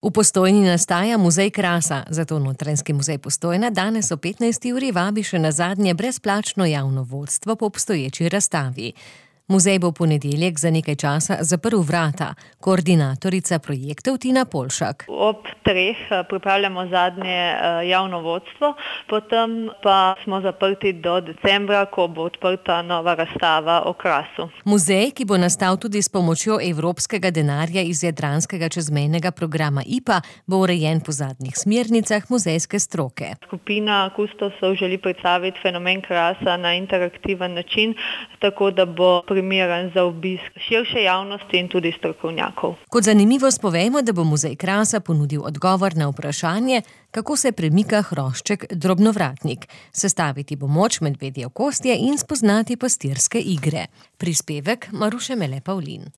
V Postojni nastaja muzej krasa, zato Notranjski muzej Postojna danes ob 15. uri vabi še na zadnje brezplačno javno vodstvo po obstoječi razstavi. Muzej bo v ponedeljek za nekaj časa zaprl vrata. Koordinatorica projektov Tina Polšak. Ob 3 pripravljamo zadnje javno vodstvo, potem pa smo zaprti do decembra, ko bo odprta nova razstava o krasu. Muzej, ki bo nastal tudi s pomočjo evropskega denarja iz jadranskega čezmejnega programa IPA, bo urejen po zadnjih smernicah muzejske stroke. Skupina kustosov želi predstaviti fenomen krasa na interaktiven način, tako da bo primeren za obisk širše javnosti in tudi strokovnjakov. Kot zanimivost povejmo, da bo muzej krasa ponudil odgovor na vprašanje, kako se premika hrošček drobnovratnik. Sestaviti bo moč medvedje okostje in spoznati pastirske igre. Prispevek Maruše Mele Pavlin.